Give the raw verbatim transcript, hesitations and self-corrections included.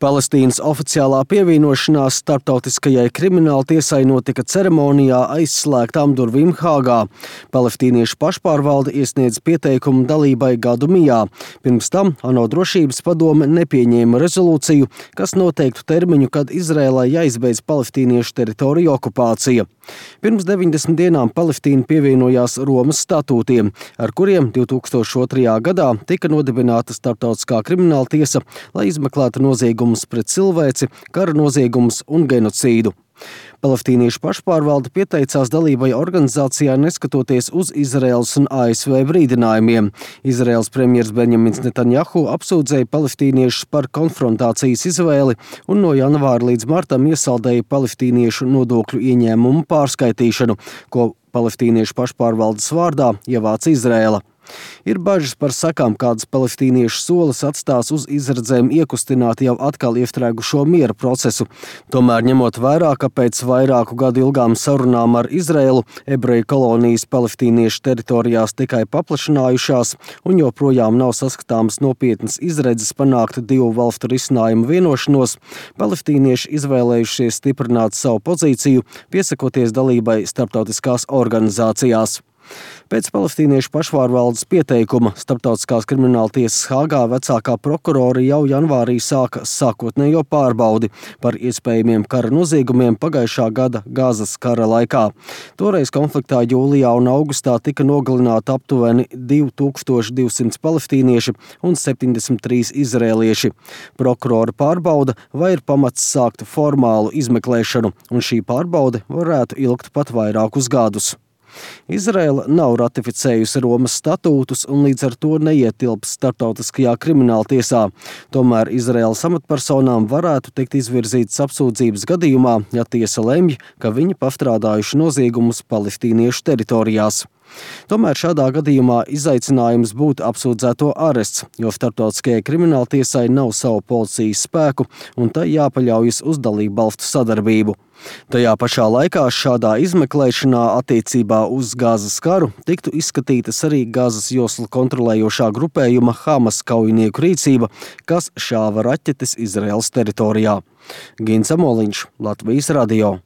Palestīnas oficiālā pievienošanās starptautiskajai krimināltiesai notika ceremonijā aizslēgtām durvīm Hāgā. Palestīniešu pašpārvalde iesniedz pieteikumu dalībai gadu mijā. Pirms tam ANO drošības padome nepieņēma rezolūciju, kas noteiktu termiņu, kad Izrēlai jāizbeidz palestīniešu teritoriju okupācija. Pirms deviņdesmit dienām Palestīna pievienojās Romas statūtiem, ar kuriem divi tūkstoši otrajā gadā tika nodibināta starptautiskā krimināltiesa, lai izmeklētu noziegumus pret cilvēci, kara noziegumus un genocīdu. Palestīniešu pašpārvalde pieteicās dalībai organizācijā neskatoties uz Izraēlas un A S V brīdinājumiem. Izraēlas premjers Benjamins Netanjahu apsūdzēja palestīniešus par konfrontācijas izvēli un no janvāra līdz martam iesaldēja palestīniešu nodokļu ieņēmumu pārskaitīšanu, ko palestīniešu pašpārvaldes vārdā ievāca Izraēla. Ir bažas par sekām, kādas palestīniešu solis atstās uz izredzēm iekustināt jau atkal iestrēgušo miera procesu. Tomēr ņemot vērā, ka pēc vairāku gadu ilgām sarunām ar Izraēlu ebreju kolonijas palestīniešu teritorijās tikai paplašinājušās un joprojām nav saskatāmas nopietnas izredzes panākt divu valstu risinājumu vienošanos, palestīnieši izvēlējušies stiprināt savu pozīciju, piesakoties dalībai starptautiskās organizācijās. Pēc palestīniešu pašpārvaldes pieteikuma Starptautiskās krimināltiesas Hāgā vecākā prokurore jau janvārī sāka sākotnējo pārbaudi par iespējamiem kara noziegumiem pagājušā gada Gazas kara laikā. Toreiz konfliktā jūlijā un augustā tika nogalināti aptuveni divi tūkstoši divsimt palestīnieši un septiņdesmit trīs izrēlieši. Prokurore pārbauda, vai ir pamats sākt formālu izmeklēšanu, un šī pārbaude varētu ilgt pat vairākus gadus. Izraēla nav ratificējusi Romas statūtus un līdz ar to neietilps starptautiskajā krimināltiesā. Tomēr Izraēlas amatpersonām varētu tikt izvirzītas apsūdzības gadījumā, ja tiesa lemj, ka viņi pastrādājuši noziegumus palestīniešu teritorijās. Tomēr šādā gadījumā izaicinājums būtu apsūdzēto arests, jo starptautiskajai krimināltiesai nav savu policijas spēku un tai jāpaļaujas uz dalību valstu sadarbību. Tajā pašā laikā šādā izmeklēšanā attiecībā uz Gazas karu tiktu izskatītas arī Gazas joslu kontrolējošā grupējuma Hamas kaujinieku rīcība, kas šāva raķetes Izraēlas teritorijā. Gins Amoliņš, Latvijas radio.